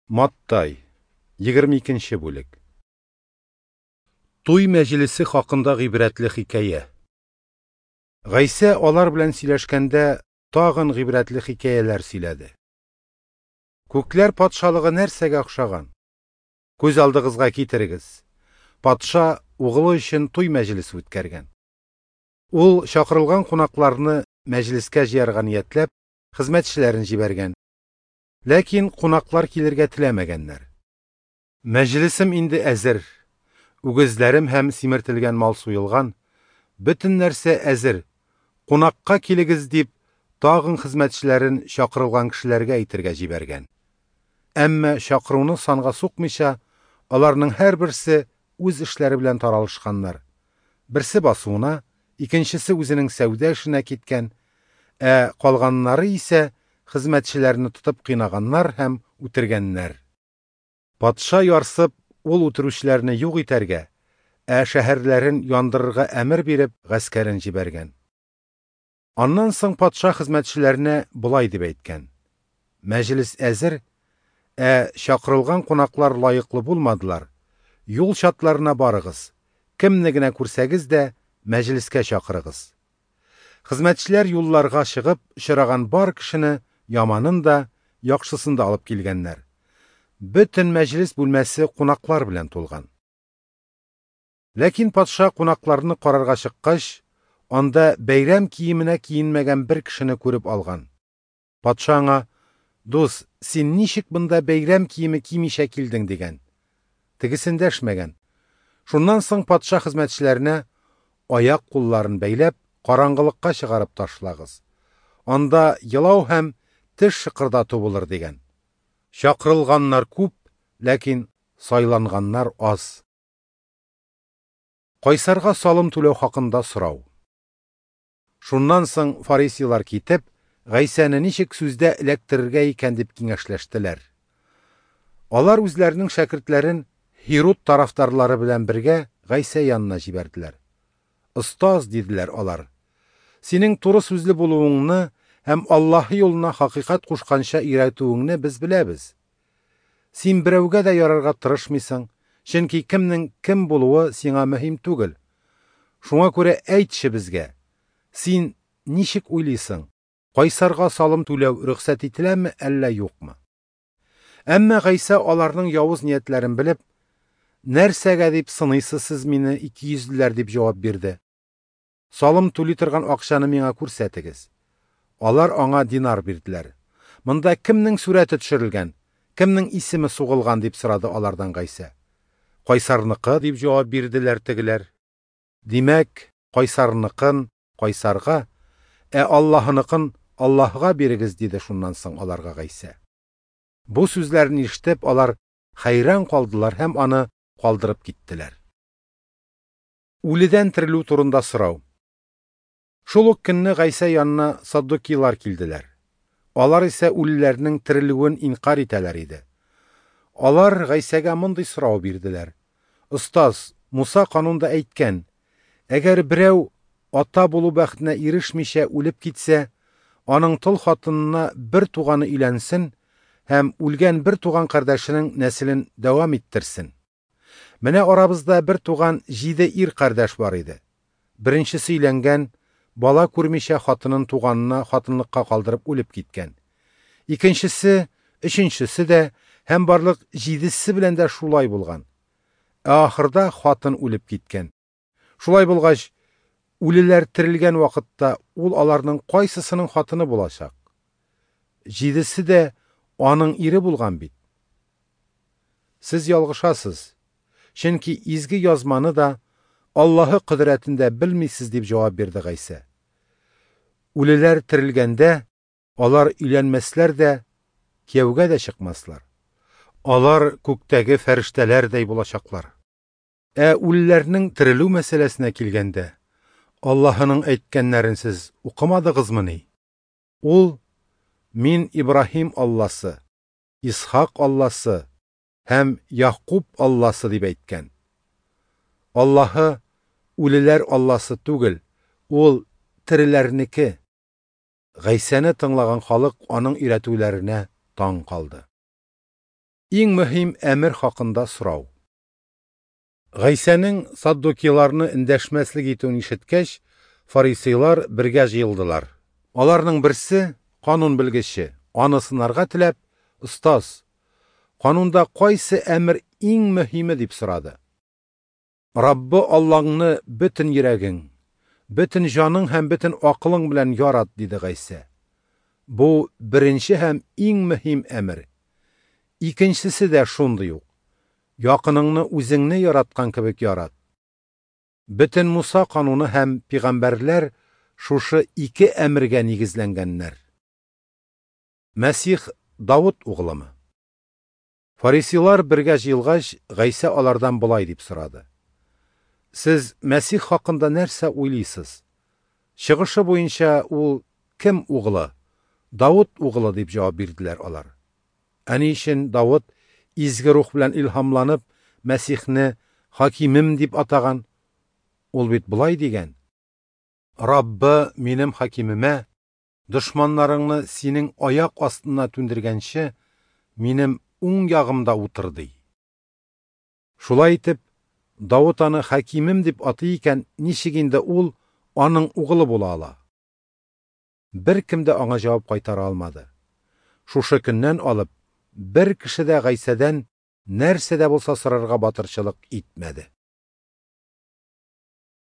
Маттай, 22 нче бүлек. Туй мәҗлесе хакында гыйбрәтле хикәя. Гайсә алар белән сөйләшкәндә тагын гыйбрәтле хикәяләр сөйләде. Күкләр патшалыгы нәрсәгә охшаган? Күз алдыгызга китерегез. Патша угылы өчен туй мәҗлесе үткәргән. Ул чакырылган кунакларны мәҗлескә җыярга ниятләп, хезмәтчеләрен җибәргән. Ләкин кунаклар килергә теләмәгәннәр. Мәҗлесем инде әзер. Үгезләрем һәм симертелгән мал суелган, бөтен нәрсә әзер. Кунакка килегез дип, тагын хезмәтчеләрен чакырылган кешеләргә әйтергә җибәргән. Әмма чакыруны санга сукмыйча, аларның һәрберсе үз эшләре белән таралышканнар. Берсе басуына, икенчесе үзенең сәүдә эшенә киткән, ә калганнары исә хезмәтчеләрне тотып кыйнаганнар һәм үтергәннәр. Патша ярсып, ул үтерүчеләрне юк итәргә, ә шәһәрләрен яндырырга әмер биреп, гаскәрен җибәргән. Аннан соң патша хезмәтчеләренә болай дип әйткән: Мәҗлес әзер, ә чакырылган кунаклар лаеклы булмадылар. Юл чатларына барыгыз, кемне генә күрсәгез дә, мәҗлескә чакырыгыз. Хезмәтчеләр юлларга чыгып, очраган бар кешене, яманын да, яхшысын да алып килгәннәр. Бөтен мәҗлес бүлмәсе кунаклар белән тулган. Ләкин патша кунакларны карарга чыккач, анда бәйрәм киеменә киенмәгән бер кешене күреп алган. Патша аңа: "Дус, син ничек монда бәйрәм киеме кимичә килдең?" дигән. Тегесе эндәшмәгән. Шуннан соң патша хезмәтчеләренә: "Аяк-кулларын бәйләп, караңгылыкка чыгарып ташлагыз. Анда елау һәм теш шыкырдату булыр", дигән. Чакырылганнар күп, ләкин сайланганнар аз. Кайсарга салым түләү хакында сорау. Шуннан соң фарисейлар китеп, Гайсәне ничек сүздә эләктерергә икән дип киңәшләштеләр. Алар үзләренең шәкертләрен Һируд тарафдарлары белән бергә Гайсә янына җибәрделәр. Остаз, диделәр алар, синең туры сүзле булуыңны һәм Аллаһы юлына хакыйкать кушканча өйрәтүеңне без беләбез. Син берәүгә дә ярарга тырышмыйсың, чөнки кемнең кем булуы сиңа мөһим түгел. Шуңа күрә әйтче безгә, син ничек уйлыйсың, кайсарга салым түләү рөхсәт ителәме, әллә юкмы? Әмма Гайсә аларның явыз ниятләрен белеп, нәрсәгә дип сыныйсыз сез мине, икейөзлеләр, дип җавап бирде. Салым түли торган акчаны миңа күрсәтегез. Алар аңа динар бирделәр. Монда кемнең сурәте төшерелгән, кемнең исеме сугылган, дип сорады алардан Гайсә. Кайсарныкы, дип җавап бирделәр тегеләр. Димәк, кайсарныкын кайсарга, ә Аллаһыныкын Аллаһыга бирегез, диде шуннан соң аларга Гайсә. Бу сүзләрне ишетеп, алар хәйран калдылар һәм аны калдырып киттеләр. Үледән терелү турында сорау. Шул ук көнне Гайсә янына саддукейлар килделәр. Алар исә үлеләрнең терелүен инкар итәләр иде. Алар Гайсәгә мондый сорау бирделәр: Остаз, Муса канунда әйткән, әгәр берәү ата булу бәхетенә ирешмичә үлеп китсә, аның тол хатынына бер туганы өйләнсен һәм үлгән бер туган кардәшенең нәселен дәвам иттерсен. Менә арабызда бер туган 7 ир кардәш бар иде. Беренчесе өйләнгән, бала күрмичә хатынын туганына хатынлыкка калдырып үлеп киткән. Икенчесе, өченчесе дә һәм барлык 7-се белән дә шулай булган. Ә ахырда хатын үлеп киткән. Шулай булгач, үлеләр терелгән вакытта ул аларның кайсысының хатыны булачак? 7-се дә аның ире булган бит. Сез ялгышасыз, чөнки изге язманы да Аллаһы кодрәтен дә белмисез, дип җавап бирде Гайсә. Үлеләр терелгәндә, алар өйләнмәсләр дә, кияүгә дә чыкмаслар. Алар күктәге фәрештәләрдәй булачаклар. Ә үлеләрнең терелү мәсьәләсенә килгәндә, Аллаһының әйткәннәрен сез укымадыгызмыни? Ул: Мин Ибраһим Алласы, Исхак Алласы һәм Якуб Алласы дип әйткән. Аллаһы үлеләр Алласы түгел, ул тереләрнеке. Гайсәне тыңлаган халык аның өйрәтүләренә таң калды. Иң мөһим әмер хакында сорау. Гайсәнең саддукейларны эндәшмәслек итүен ишеткәч, фарисейлар бергә җыелдылар. Аларның берсе, канун белгече, аны сынарга теләп: "Остаз, канунда кайсы әмер иң мөһиме?" – дип сорады. "Раббы Аллаңны бөтен йөрәгең, бөтен җаның һәм бөтен акылың белән ярат", – диде Гайсә. Бу беренче һәм иң мөһим әмер. Икенчесе дә шундый ук: якыныңны үзеңне яраткан кебек ярат. Бөтен Муса кануны һәм пәйгамбәрләр шушы ике әмергә нигезләнгәннәр. Мәсих Давыт углымы? Фарисейлар бергә җыелгач, Гайсә алардан болай дип сорады: "Сез Мәсих хакында нәрсә уйлыйсыз? Чыгышы буенча ул кем углы? Давыт углы", дип җавап бирделәр алар. Ә ни өчен Давыт изге рух белән илһамланып Мәсихне хакимем дип атаган? Ул бит болай дигән: "Раббы минем хакимемә, дошманнарыңны синең аяк астына түндергәнче, минем уң ягымда утыр", ди. Шулай итеп, Давыт аны хакимем дип атый икән, ничек инде ул аның углы була ала? Беркем дә аңа җавап кайтара алмады. Шушы көннән алып, бер кеше дә Гайсәдән нәрсә дә булса сорарга батырчылык итмәде.